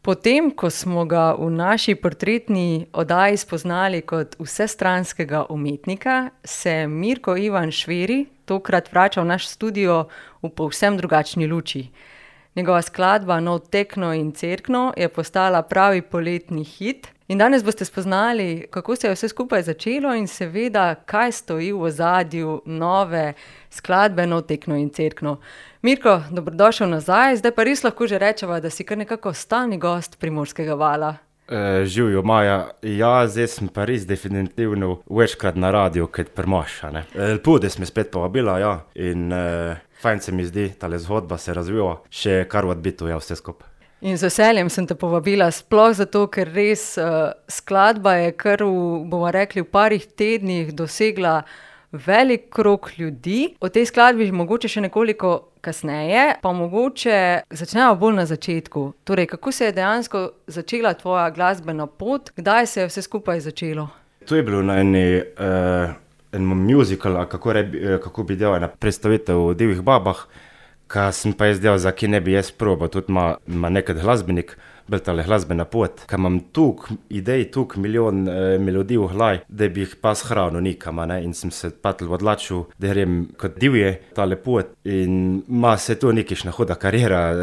Potem, ko smo ga v naši portretni oddaji spoznali kot vsestranskega umetnika, se Mirko Ivan Šveri tokrat vrača v naš studio v povsem drugačni luči. Njegova skladba Nov tekno in cerkno je postala pravi poletni hit. In danes boste spoznali, kako se je vse skupaj začelo in seveda, kaj stoji v ozadju nove skladbe Nov tekno in cerkno. Mirko, dobrodošel nazaj, zdaj pa res lahko že rečeva, da si kar nekako stalni gost Primorskega vala. Živijo, Maja. Ja, zdaj sem pa res definitivno večkrat na radiju, kot premaša. Lepo, da si me spet povabila, ja. In fajn se mi zdi, tale zgodba se razvija, še kar v odbitu, ja, vse skupaj. In z veseljem sem te povabila, sploh zato, ker res skladba je kar bomo rekli, v parih tednih dosegla velik krog ljudi. O tej skladbi mogoče še nekoliko kasneje, pa mogoče začnemo bolj na začetku. Torej, kako se je dejansko začela tvoja glasbena pot, kdaj se je vse skupaj začelo? To je bilo na en musical, kako bi delal, ena predstavitev o Divjih babah, ka sem pa jaz delal, za ki ne bi jaz probal, tudi ima nekaj glasbenik, bil tale glasbena pot, ka imam tuk idej, tuk milijon melodij v glavi, da bi jih pa shranil nikam, in sem se patel odlačil, da grem kot divje tale pot in ma se to nekišna huda karijera,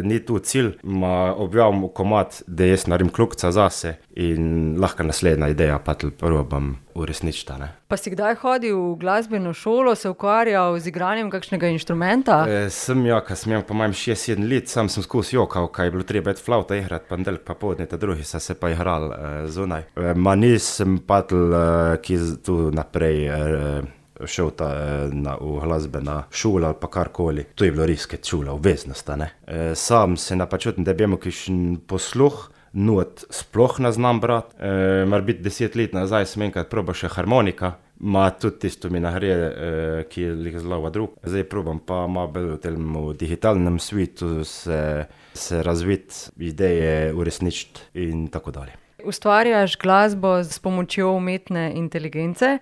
ni tu cilj, ma objavim komad, da jaz naredim klukca zase in lahko naslednja ideja patel probam uresničiti. Pa si kdaj hodil v glasbeno šolo, se ukvarjal z igranjem kakšnega inštrumenta? Sem ja, ka sem imel po mojem 6-7 let, sam sem skozi jokal, kaj je bilo treba flauta igrati, ponedeljek pa poldne, ta drugi so se pa igrali zunaj. Ma nisem patel, ki tu naprej šel v glasbena šola ali pa karkoli. To je bilo res kot šola, obveznost. Sam se napačutim, da bi imel kakšen posluh, not sploh ne znam brat. Mar biti 10 let nazaj sem enkrat probal še harmonika, ma tudi tisto mi nagre, ki je zelo drug. Zdaj probam pa malo bolj v tem digitalnem svetu se razviti, ideje uresničiti in tako dalje. Ustvarjaš glasbo s pomočjo umetne inteligence.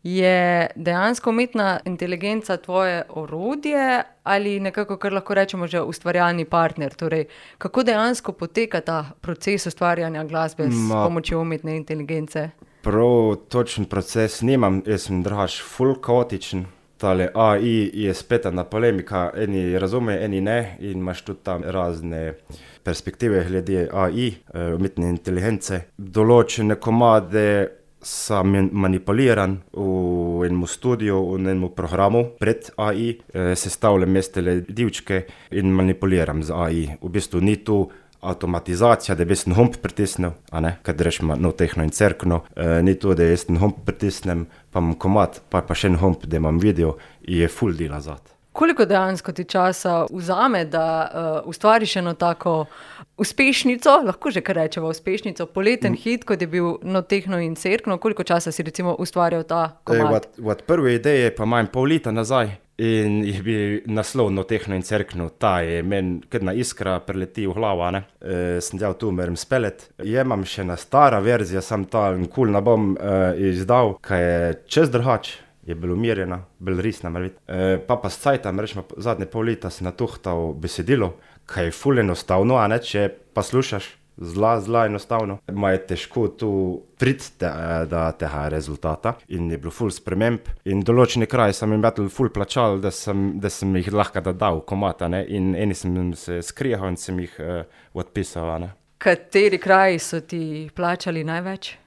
Je dejansko umetna inteligenca tvoje orodje ali nekako, kar lahko rečemo, že ustvarjalni partner? Torej, kako dejansko poteka ta proces ustvarjanja glasbe s pomočjo umetne inteligence? Prav točen proces nimam, jaz sem drugač ful kaotičen. Tale AI je spet ena polemika, eni razume, eni ne, in imaš tudi tam razne perspektive glede AI, umetne inteligence. Določene komade sam manipuliran v enem studiu, v enem programu pred AI, sestavljam mestele divčke in manipuliram z AI. V bistvu ni tu avtomatizacija, da bi jaz hump pritisnil, kad rečemo Nov tekno in cerkno, ni tu, da jaz hump pritisnem, pa imam komad, pa še en hump, da imam video in je ful dela zat. Koliko dejansko ti časa vzame, da ustvariš eno tako uspešnico, lahko že kar rečeva uspešnico, poleten hit, kot je bil Nov tekno in cerkno, koliko časa si recimo ustvarjal ta komad? Od prve ideje pa imam pol leta nazaj in je bil naslov Nov tekno in cerkno, ta je meni kadna iskra preleti v glavo, sem delal tu, merim spelet. Imam še ena stara verzija, sam ta nikul ne bom izdal, kaj je čez drugač. Je bilo umirjena, bilo resna, pa s cajtom, rečemo, zadnje pol leta si natuhtal besedilo, kaj je ful enostavno, če pa slušaš, zla enostavno. Ma je težko tu priti do tega rezultata in je bilo ful sprememb in določeni kraj sem jim ful plačal, da sem jih lahko dodal komata, in eni sem se skrijal in sem jih odpisal. Kateri kraji so ti plačali največ?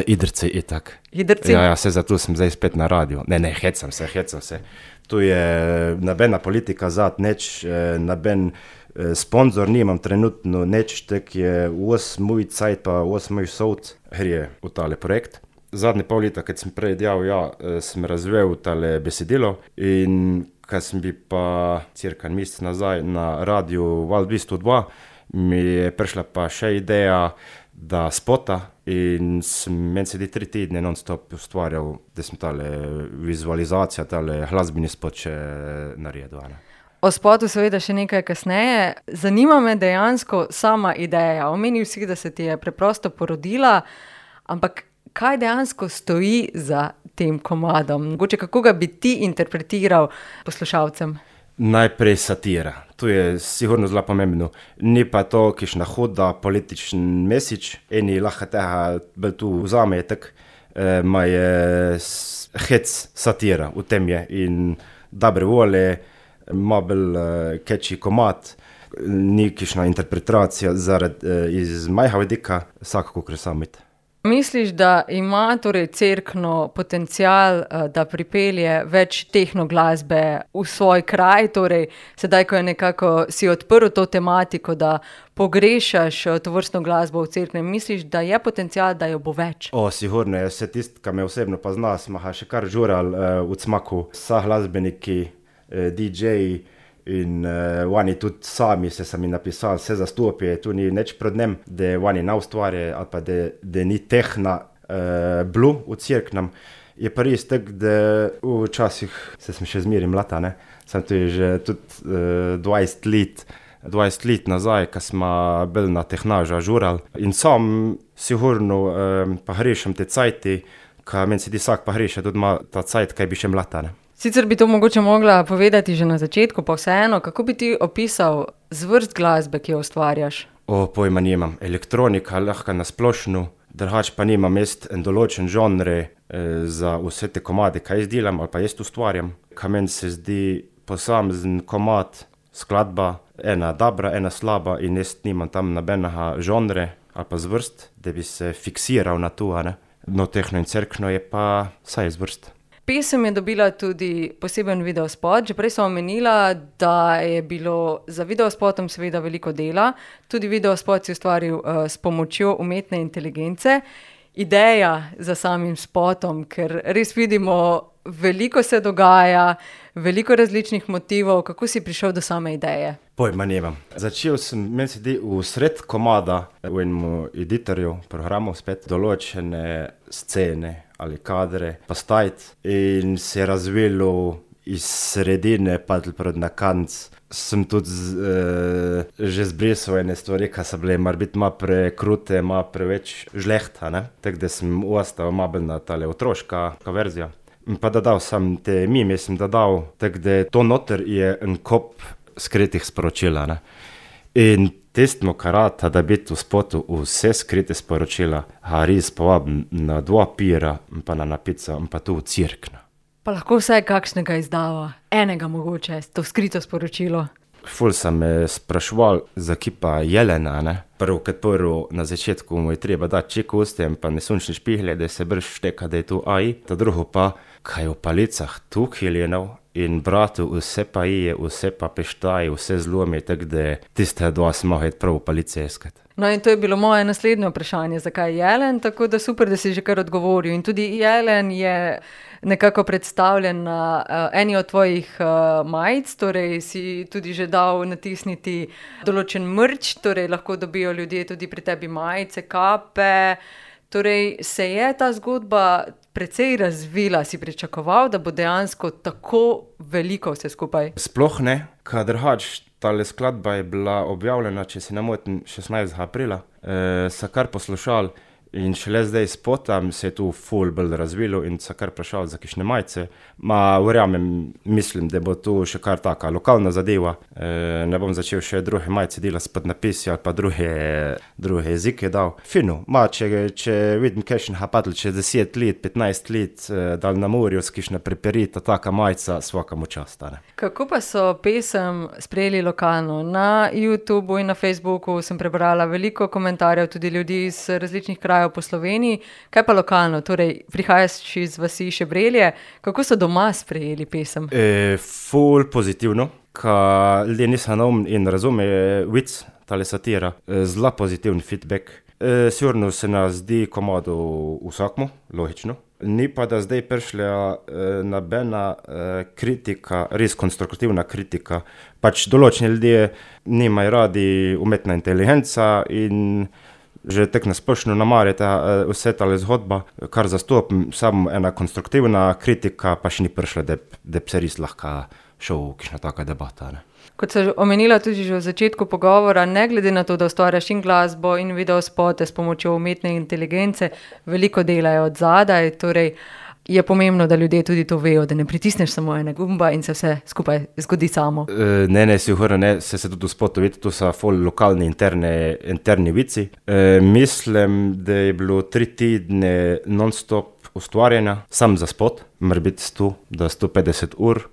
Idrci itak. Idrci? Ja, se zato sem zdaj spet na radiju. Ne, hecam se. Tu je nobena politika zat, noben sponzor nimam trenutno, tek je 8 moj cajt pa 8 moj sovc gre v tale projekt. Zadnje pol leta, kad sem prej delal, sem razvel tale besedilo in kad sem bil pa cirka mesec nazaj na radiju Val 202, mi je prišla pa še ideja, da spota in meni se 3 tedne non-stop ustvarjal, da sem tale vizualizacija, tale glasbeni spot še naredil. O spotu seveda še nekaj kasneje. Zanima me dejansko sama ideja. Omenil si, da se ti je preprosto porodila, ampak kaj dejansko stoji za tem komadom? Mogoče kako ga bi ti interpretiral poslušalcem? Najprej satira. To je sigurno zelo pomembno. Ni pa to kišna huda političen mesič, eni lahko tega bolj tu vzame, tak, ma je hec satira, v tem je. In dobre volje, ma bolj catchy komad, ni kišna interpretacija iz majha vidika, vsako kakor samit. Misliš, da ima torej Cerkno potencial, da pripelje več tehnoglasbe v svoj kraj, torej sedaj, ko je nekako si odprl to tematiko, da pogrešaš tovrstno glasbo v Cerknem, misliš, da je potencial, da jo bo več? Sigurno je, vse tist, ki me osebno pozna, smo še kar žural v Cmaku, vsa glasbeniki, DJ-ji, in oni tudi sami se sami napisali, vse zastopje, tu ni nič pred njem, da oni ne ustvarjajo ali pa da ni tehna blu v Cerknem. Je pa res tak, da včasih se sem še zmeri mlata, ne? Sem tu že tudi 20 let nazaj, ko smo bili na tehnaža žurali. In sam sigurno pahrešam te cajti, ko meni se ti vsak pahreša, tudi ima ta cajt, kaj bi še mlata, ne? Sicer bi to mogoče mogla povedati že na začetku, pa vseeno, kako bi ti opisal zvrst glasbe, ki jo ustvarjaš? Pojma nimam. Elektronika lahko na splošno, drugače pa nimam jaz en določen žanre za vse te komade, kaj jaz delam ali pa jaz ustvarjam. Kaj meni se zdi posamezen komad, skladba, ena dobra, ena slaba in jaz nimam tam nobenega žanre ali pa zvrst, da bi se fiksiral na to, ne. No, Tehno in Cerkno je pa vsaj zvrst. Pesem je dobila tudi poseben videospot. Že prej sem omenila, da je bilo za videospotom seveda veliko dela. Tudi videospot si ustvaril s pomočjo umetne inteligence. Ideja za samim spotom, ker res vidimo, veliko se dogaja, veliko različnih motivov. Kako si prišel do same ideje? Pojma nimam. Začel sem, meni se di v sred komada v enem editorju, programu spet, določene scene ali kadre postaviti in se je razvilo iz sredine pa proti na konec. Sem tudi že zbrisal ene stvari, ki so bile morbiti malo prekrute, malo preveč žlehta, ne. Tako da sem ostal malo bolj na tale otroška verzija. In pa dodal sem te mime, sem dodal, tako da to noter je en kup skritih sporočila, ne. In tistmo karata, da biti v spotu vse skrite sporočila, res povabim na 2 pira, pa na napico, pa tu v Cerkno. Pa lahko vsaj kakšnega izdava, enega mogoče, to skrito sporočilo. Ful sem me spraševal, zakaj pa jelena, ne. Prvo kot prvo, na začetku mu je treba dati ček ustem, pa nesončne špihle, da se brž šteka, da je tu AI. Ta drugo pa, kaj v palicah tuk jelenov in bratu vse pa je, vse pa peštaje, vse zlomi, tako da tiste dva smo mogli prav v palice iskati. No in to je bilo moje naslednje vprašanje, zakaj jelen, tako da super, da si že kar odgovoril. In tudi jelen je nekako predstavljen na eni od tvojih majic, torej si tudi že dal natisniti določen merch, torej lahko dobijo ljudje tudi pri tebi majice, kape. Torej se je ta zgodba precej razvila, si pričakoval, da bo dejansko tako veliko vse skupaj? Sploh ne, kadar tale skladba je bila objavljena, če se ne motim, 16. aprila, so kar poslušali in šele zdaj spotam se je tu ful bolj razvilo in so kar vprašali za kakšne majice. Verjamem, mislim, da bo tu še kar taka lokalna zadeva. Ne bom začel še druge majice delati s podnapisi ali pa druge jezike dal. Fino, če vidim kakšen hapadl čez 10 let, 15 let, dal na morju s kakšna preperita taka majica, svakamu čast, ne. Kako pa so pesem sprejeli lokalno? Na YouTubu in na Facebooku sem prebrala veliko komentarjev tudi ljudi iz različnih krajev po Sloveniji. Kaj pa lokalno? Torej, prihajaš iz vasi Šebrelje. Kako so doma sprejeli pesem? Ful pozitivno, ka ljudje niso naumni in razume vic, tale satira. Zelo pozitiven feedback. Sigurno se nas zdi komado vsakmu, logično. Ni pa da zdaj prišla nobena kritika, res konstruktivna kritika. Pač določeni ljudje nimajo radi umetna inteligenca in že tako nasplošno namarjata vse tale zgodba, kar zastopim, samo ena konstruktivna kritika pa še ni prišla, da bi se res lahko šel v kakšna taka debata, ne. Kot sem omenila tudi že v začetku pogovora, ne glede na to, da ustvarjaš in glasbo in videospote s pomočjo umetne inteligence, veliko dela je od zadaj, torej je pomembno, da ljudje tudi to vejo, da ne pritisneš samo ene gumba in se vse skupaj zgodi samo. Ne, sigurno ne, se tudi v spotu vidi, tu so ful lokalni interni vici. Mislim, da je bilo 3 tedne non-stop ustvarjanja, sam za spot, mora biti 100 do 150 ur.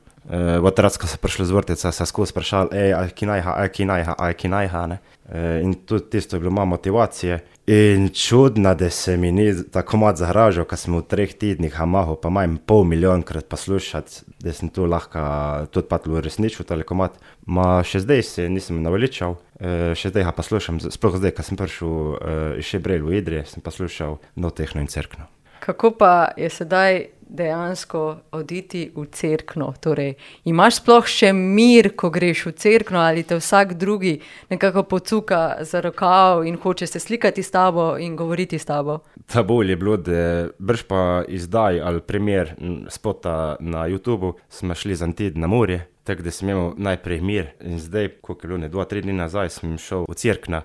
Otrad, ko so prišli z vrtca, so skozi sprašali, ki najha, ne. In tudi tisto je bilo malo motivacije. In čudno, da se mi ni tako malo zahražal, ko smo v 3 tednih mahal, pa manj 500 000 poslušati, da sem tu lahko tudi patlo resničil tale komad. Ma še zdaj se nisem naveličal, še zdaj ga poslušam, sploh zdaj, ko sem prišel iz Šebrelj v Idrije, sem poslušal No Tehno in Cerkno. Kako pa je sedaj dejansko oditi v Cerkno? Torej, imaš sploh še mir, ko greš v Cerkno, ali te vsak drugi nekako pocuka za rokav in hoče se slikati s tabo in govoriti s tabo? Ta bolj je bilo, da brž pa izdaj ali primer spota na YouTubu, smo šli za en teden na morje, tako da sem imel najprej mir in zdaj, koliko je bilo, 2-3 dni nazaj, sem šel v Cerkno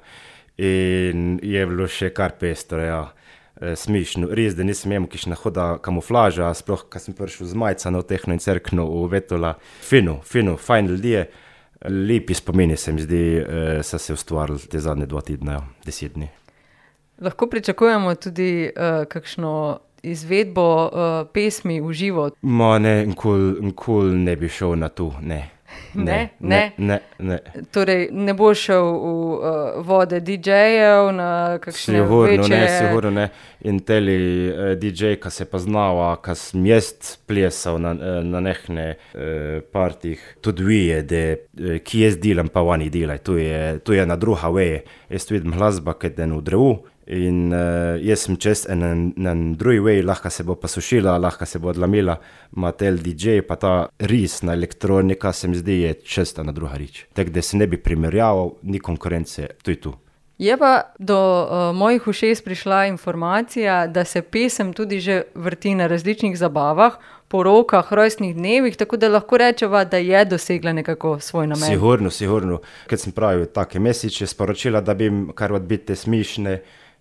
in je bilo še kar pestro, ja. Smišno, res, da nisem imel kišna hoda kamuflaža, sploh, ko sem prišel z majca No Tehno in Cerkno v Vetola. Fino, fajn ljudje, lepi spomini se mi zdi, so se ustvarili te zadnje 2 tedne, 10 dni. Lahko pričakujemo tudi kakšno izvedbo pesmi v živo? Ma ne, nikoli ne bi šel na to, ne. Ne. Torej, ne bo šel v vode DJ-jev na kakšne večje... Sigurno ne. In teli DJ, ko se poznava, ko sem jaz plesal na nehne partih, tudi vije, da ki jaz delam, pa oni delaj. Tu je na druga veje. Jaz vidim glasba, kad je v drevu. In jaz sem čez na drugi vej, lahko se bo posušila, lahko se bo odlamila, ma tel DJ, pa ta ris na elektronika se mi zdi je česta na druga rič. Tako da se ne bi primerjaval, ni konkurence, to je tu. Je pa do mojih ušes prišla informacija, da se pesem tudi že vrti na različnih zabavah, porokah, rojstnih dnevih, tako da lahko rečeva, da je dosegla nekako svoj namen. Sigurno. Kad sem pravil take mesiče, sporočila, da bi kar odbite smišne,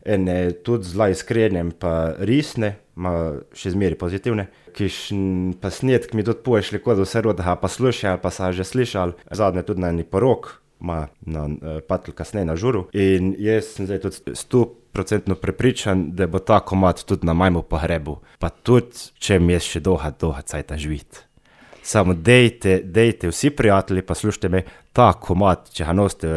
ene tudi zla iskrenjem pa risne, ma še zmeri pozitivne, kišn pa snetk mi tudi poješli, kod vse rodaha pa slušali, pa sa že slišali, zadnje tudi na eni porok, ma na patl kasneje na žuru. In jaz sem zdaj tudi 100% prepričan, da bo ta komad tudi na majmu pogrebu, pa tudi, če mi je še dolga cajta živit. Samo dejte vsi prijatelji, pa slušajte me, ta komad, če ga nosite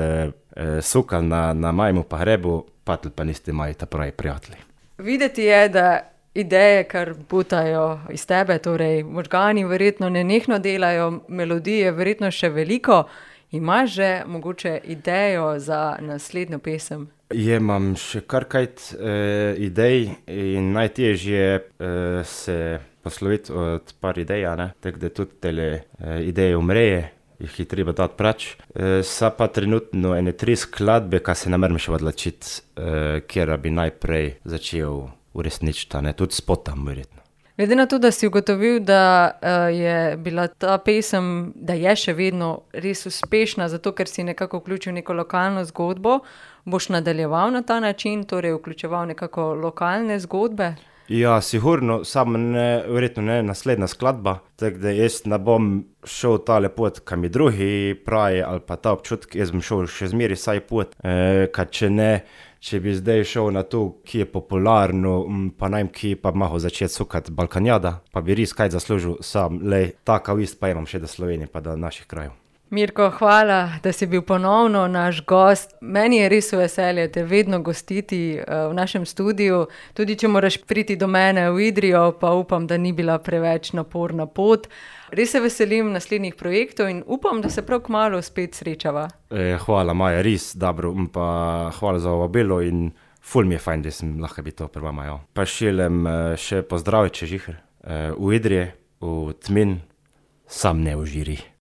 sukal na majmu pogrebu, patl pa niste moji ta pravi prijatelji. Videti je, da ideje, kar butajo iz tebe, torej možgani verjetno nenehno delajo, melodije verjetno še veliko. Imaš že mogoče idejo za naslednjo pesem? Imam še kar kajt idej in najtežje se posloviti od par idej, ne? Tako da tudi tele ideje umreje, jih je treba dati prač. Sa pa trenutno ene 3 skladbe, ka se namerim še odločiti, kjer bi najprej začel uresničiti, ne? Tudi spotam verjetno. Glede na to, da si ugotovil, da je bila ta pesem, da je še vedno res uspešna, zato ker si nekako vključil neko lokalno zgodbo, boš nadaljeval na ta način, torej vključeval nekako lokalne zgodbe? Ja, sigurno, samo verjetno ne naslednja skladba, tako da jaz ne bom šel tale pot, kam je drugi pravi, ali pa ta občutek, jaz bom šel še zmeri saj pot, kad če ne, če bi zdaj šel na to, ki je popularno, pa najem, ki pa mahal začeti sukati Balkanjada, pa bi res kaj zaslužil sam, taka vist pa imam še do Slovenije, pa do naših krajev. Mirko, hvala, da si bil ponovno naš gost. Meni je res veselje te vedno gostiti v našem studiu, tudi če moraš priti do mene v Idrijo, pa upam, da ni bila preveč naporna pot. Res se veselim naslednjih projektov in upam, da se prav kmalu spet srečava. Hvala, Maja, res dobro, pa hvala za vabilo in ful mi je fajn, da sem lahko biti to pri vama. Jo. Pa šelem še pozdraviti, če žiher, v Idrije, v Tmin, sam ne v Žiri.